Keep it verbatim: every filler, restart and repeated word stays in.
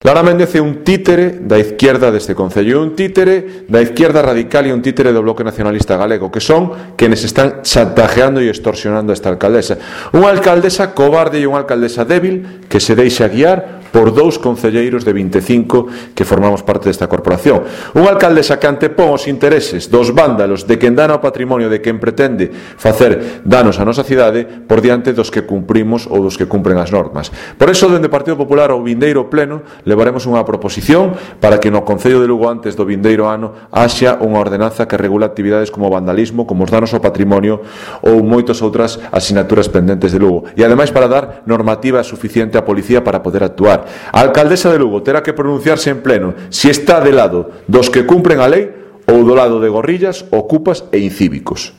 Lara Méndez é un títere da izquierda deste concello, un títere da izquierda radical e un títere do Bloque Nacionalista Galego, que son quenes están chantajeando e extorsionando a esta alcaldesa. Unha alcaldesa cobarde e unha alcaldesa débil que se deixa guiar por dous concelleiros de vinte e cinco que formamos parte desta corporación. Unha alcaldesa que antepón os intereses dos vándalos, de quen dana o patrimonio, de quen pretende facer danos á nosa cidade por diante dos que cumprimos ou dos que cumpren as normas. Por iso, dende o Partido Popular ao vindeiro pleno, levaremos unha proposición para que no Concello de Lugo antes do vindeiro ano haxa unha ordenanza que regula actividades como o vandalismo, como os danos ao patrimonio ou moitas outras asinaturas pendentes de Lugo. E ademais para dar normativa suficiente á policía para poder actuar. A alcaldesa de Lugo terá que pronunciarse en pleno se está de lado dos que cumpren a lei ou do lado de gorrillas, ocupas e incívicos.